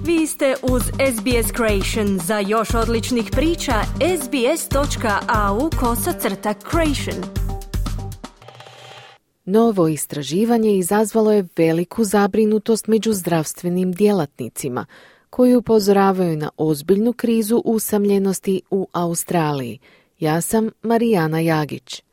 Vi ste uz SBS Creation. Za još odličnih priča, sbs.au/creation. Novo istraživanje izazvalo je veliku zabrinutost među zdravstvenim djelatnicima, koji upozoravaju na ozbiljnu krizu usamljenosti u Australiji. Ja sam Marijana Jagić.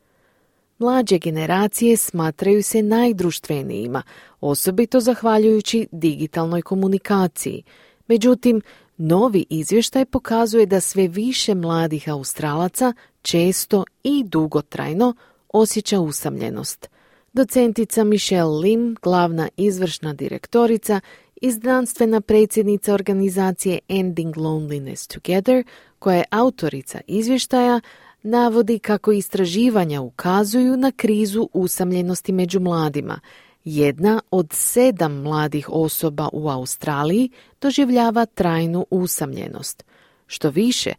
Mlađe generacije smatraju se najdruštvenijima, osobito zahvaljujući digitalnoj komunikaciji. Međutim, novi izvještaj pokazuje da sve više mladih Australaca često i dugotrajno osjeća usamljenost. Docentica Michelle Lim, glavna izvršna direktorica i znanstvena predsjednica organizacije Ending Loneliness Together, koja je autorica izvještaja, navodi kako istraživanja ukazuju na krizu usamljenosti među mladima. 1 od 7 mladih osoba u Australiji doživljava trajnu usamljenost. Što više,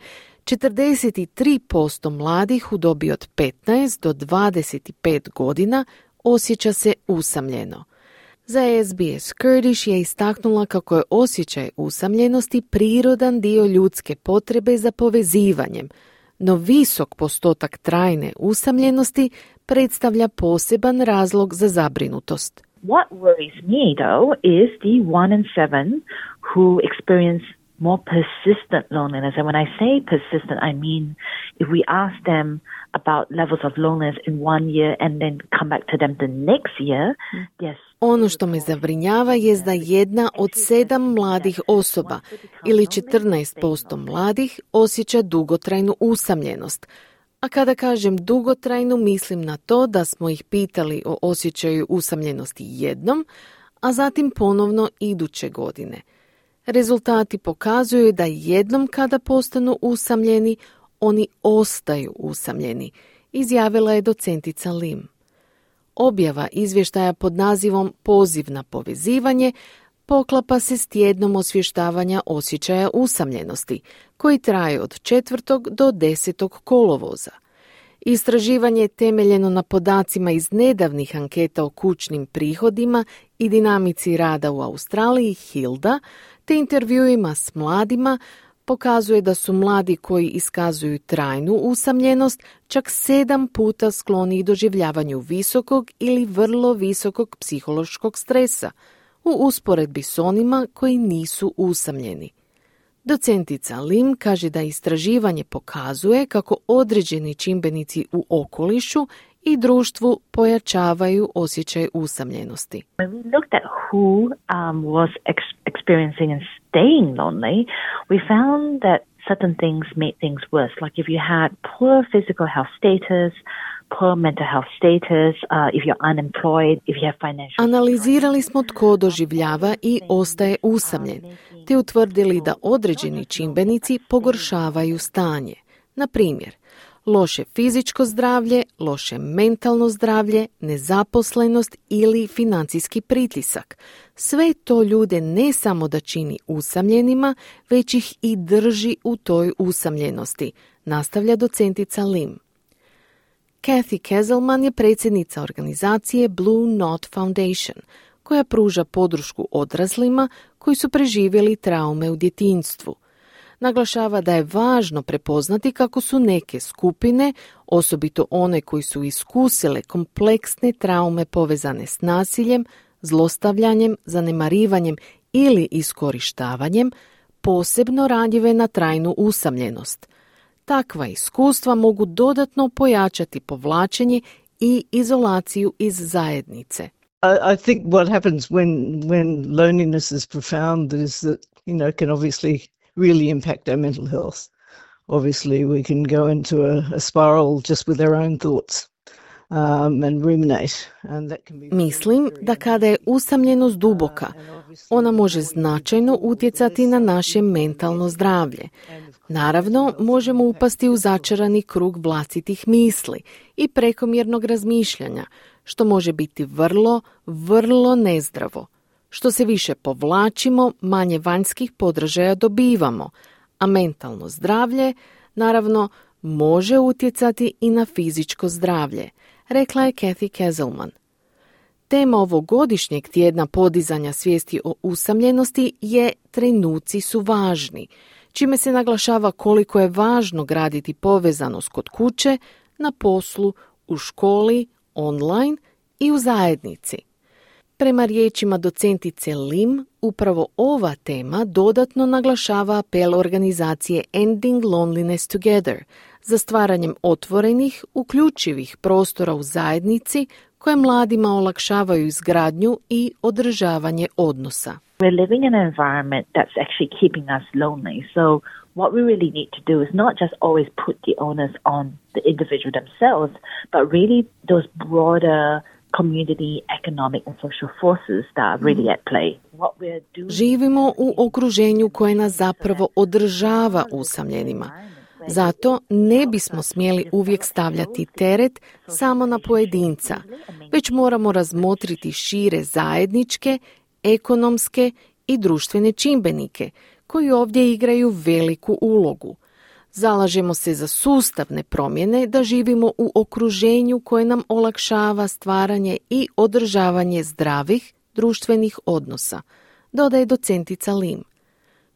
43% mladih u dobi od 15 do 25 godina osjeća se usamljeno. Za SBS Kurdish je istaknula kako je osjećaj usamljenosti prirodan dio ljudske potrebe za povezivanjem, no visok postotak trajne usamljenosti predstavlja poseban razlog za zabrinutost. What worries me, though, is the 1 in 7 who experience more persistent loneliness. And when I say persistent, I mean if we ask them about levels of loneliness in 1 year and then come back to them the next year, yes. Ono što me zabrinjava je da 1 od 7 mladih osoba ili 14% mladih osjeća dugotrajnu usamljenost. A kada kažem dugotrajnu, mislim na to da smo ih pitali o osjećaju usamljenosti jednom, a zatim ponovno iduće godine. Rezultati pokazuju da jednom kada postanu usamljeni, oni ostaju usamljeni, izjavila je docentica Lim. Objava izvještaja pod nazivom Poziv na povezivanje poklapa se s tjednom osvještavanja osjećaja usamljenosti, koji traje od 4. do 10. kolovoza. Istraživanje je temeljeno na podacima iz nedavnih anketa o kućnim prihodima i dinamici rada u Australiji Hilda, te intervjuima s mladima, pokazuje da su mladi koji iskazuju trajnu usamljenost čak 7 puta skloniji doživljavanju visokog ili vrlo visokog psihološkog stresa, u usporedbi s onima koji nisu usamljeni. Docentica Lim kaže da istraživanje pokazuje kako određeni čimbenici u okolišu i društvu pojačavaju osjećaj usamljenosti. When we looked at who was experiencing and staying lonely, we found that certain things made things worse. Like if you had poor physical health status, poor mental health status, if you're unemployed, if you have financial... Analizirali smo tko doživljava i ostaje usamljen, te utvrdili da određeni čimbenici pogoršavaju stanje. Na primjer, loše fizičko zdravlje, loše mentalno zdravlje, nezaposlenost ili financijski pritisak. Sve to ljude ne samo da čini usamljenima, već ih i drži u toj usamljenosti, nastavlja docentica Lim. Kathy Kezelman je predsjednica organizacije Blue Knot Foundation, koja pruža podršku odraslima koji su preživjeli traume u djetinjstvu. Naglašava da je važno prepoznati kako su neke skupine, osobito one koji su iskusile kompleksne traume povezane s nasiljem, zlostavljanjem, zanemarivanjem ili iskorištavanjem, posebno ranjive na trajnu usamljenost. Takva iskustva mogu dodatno pojačati povlačenje i izolaciju iz zajednice. I think what happens when loneliness is profound is that, can obviously really impact our mental health. Obviously, we can go into a spiral just with our own thoughts and ruminate. And that can be... Mislim da kada je usamljenost duboka, ona može značajno utjecati na naše mentalno zdravlje. Naravno, možemo upasti u začarani krug vlastitih misli i prekomjernog razmišljanja, što može biti vrlo, vrlo nezdravo. Što se više povlačimo, manje vanjskih podražaja dobivamo, a mentalno zdravlje, naravno, može utjecati i na fizičko zdravlje, rekla je Kathy Kezelman. Tema ovogodišnjeg tjedna podizanja svijesti o usamljenosti je trenuci su važni, čime se naglašava koliko je važno graditi povezanost kod kuće, na poslu, u školi, online i u zajednici. Prema riječima docentice Lim, upravo ova tema dodatno naglašava apel organizacije Ending Loneliness Together za stvaranjem otvorenih, uključivih prostora u zajednici koje mladima olakšavaju izgradnju i održavanje odnosa. We're living in an environment that's actually keeping us lonely. So what we really need to do is not just always put the onus on the individual themselves, but really those broader community, economic and social forces that are really at play. What we're doing... Živimo u okruženju koje nas zapravo održava usamljenima. Zato ne bismo smjeli uvijek stavljati teret samo na pojedinca, već moramo razmotriti šire zajedničke, ekonomske i društvene čimbenike koji ovdje igraju veliku ulogu. Zalažemo se za sustavne promjene da živimo u okruženju koje nam olakšava stvaranje i održavanje zdravih društvenih odnosa, dodaje docentica Lim.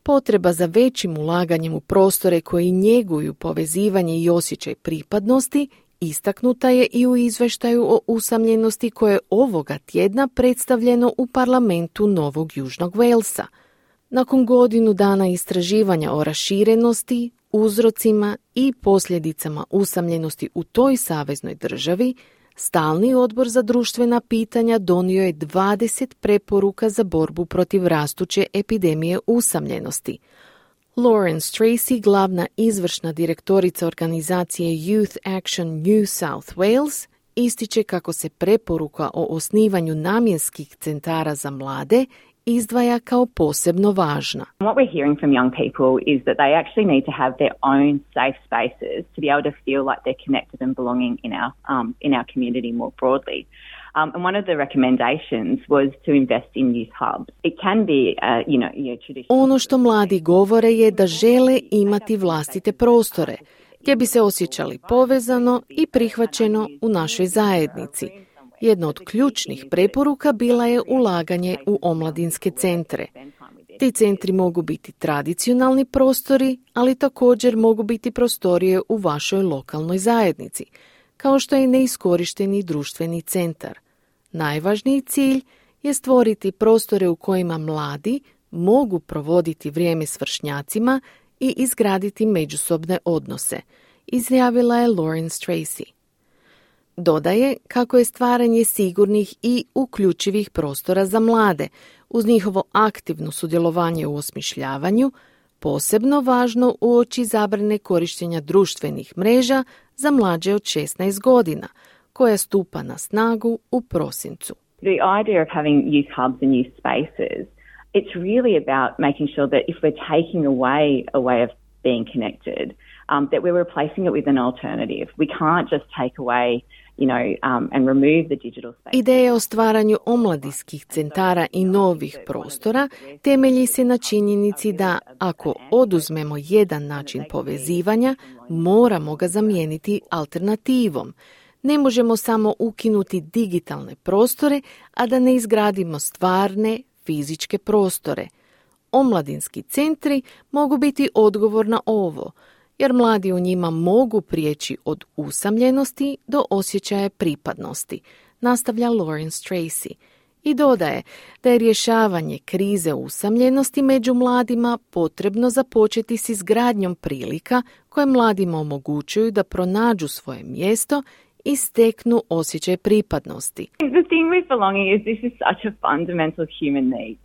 Potreba za većim ulaganjem u prostore koji njeguju povezivanje i osjećaj pripadnosti istaknuta je i u izvještaju o usamljenosti koje je ovoga tjedna predstavljeno u parlamentu Novog Južnog Walesa. Nakon godinu dana istraživanja o raširenosti, uzrocima i posljedicama usamljenosti u toj saveznoj državi, Stalni odbor za društvena pitanja donio je 20 preporuka za borbu protiv rastuće epidemije usamljenosti. Lauren Tracy, glavna izvršna direktorica organizacije Youth Action New South Wales, ističe kako se preporuka o osnivanju namjenskih centara za mlade izdvaja kao posebno važna. What we're hearing from young people is that they actually need to have their own safe spaces to be able to feel like they're connected and belonging in our community more broadly. And one of the recommendations was to invest in youth hubs. It can be, traditional... Ono što mladi govore je da žele imati vlastite prostore, gdje bi se osjećali povezano i prihvaćeno u našoj zajednici. Jedna od ključnih preporuka bila je ulaganje u omladinske centre. Ti centri mogu biti tradicionalni prostori, ali također mogu biti prostorije u vašoj lokalnoj zajednici, kao što je neiskorišteni društveni centar. Najvažniji cilj je stvoriti prostore u kojima mladi mogu provoditi vrijeme s vršnjacima i izgraditi međusobne odnose, izjavila je Lauren Tracy. Dodaje kako je stvaranje sigurnih i uključivih prostora za mlade, uz njihovo aktivno sudjelovanje u osmišljavanju, posebno važno uoči zabrane korištenja društvenih mreža za mlađe od 16 godina, koja stupa na snagu u prosincu. The idea of having youth hubs and youth spaces, it's really about making sure that if we're taking away a way of being connected, that we're replacing it with an alternative. We can't just take away and remove the digital space. Ideja o stvaranju omladinskih centara i novih prostora temelji se na činjenici da ako oduzmemo jedan način povezivanja, moramo ga zamijeniti alternativom. Ne možemo samo ukinuti digitalne prostore, a da ne izgradimo stvarne fizičke prostore. Omladinski centri mogu biti odgovor na ovo, jer mladi u njima mogu prijeći od usamljenosti do osjećaja pripadnosti, nastavlja Lauren Tracy. I dodaje da je rješavanje krize usamljenosti među mladima potrebno započeti s izgradnjom prilika koje mladima omogućuju da pronađu svoje mjesto i steknu osjećaj pripadnosti. The thing with belonging is this is such a fundamental human need,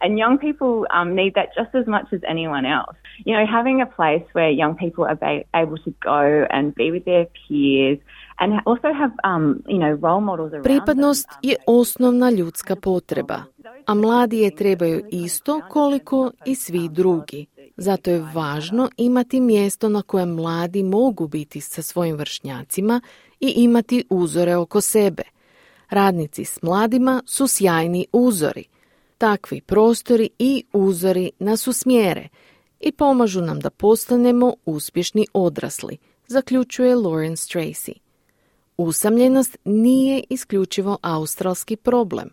and young people need that just as much as anyone else. Having a place where young people are able to go and be with their peers and also have, role models around. Pripadnost je osnovna ljudska potreba, a mladi je trebaju isto koliko i svi drugi. Zato je važno imati mjesto na kojem mladi mogu biti sa svojim vršnjacima i imati uzore oko sebe. Radnici s mladima su sjajni uzori. Takvi prostori i uzori nas usmjere i pomažu nam da postanemo uspješni odrasli, zaključuje Lauren Tracy. Usamljenost nije isključivo australski problem.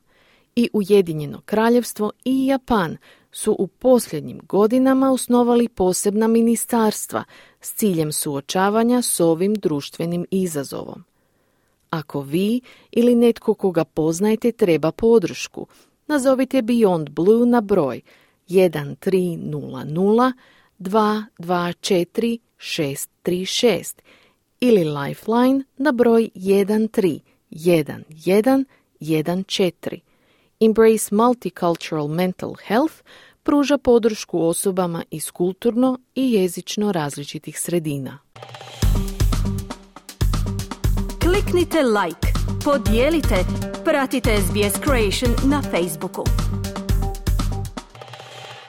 I Ujedinjeno kraljevstvo i Japan su u posljednjim godinama osnovali posebna ministarstva s ciljem suočavanja s ovim društvenim izazovom. Ako vi ili netko koga poznajete treba podršku, nazovite Beyond Blue na broj 1300 224 636 ili Lifeline na broj 131114. Embrace Multicultural Mental Health pruža podršku osobama iz kulturno i jezično različitih sredina. Kliknite like, podijelite, pratite SBS Creation na Facebooku.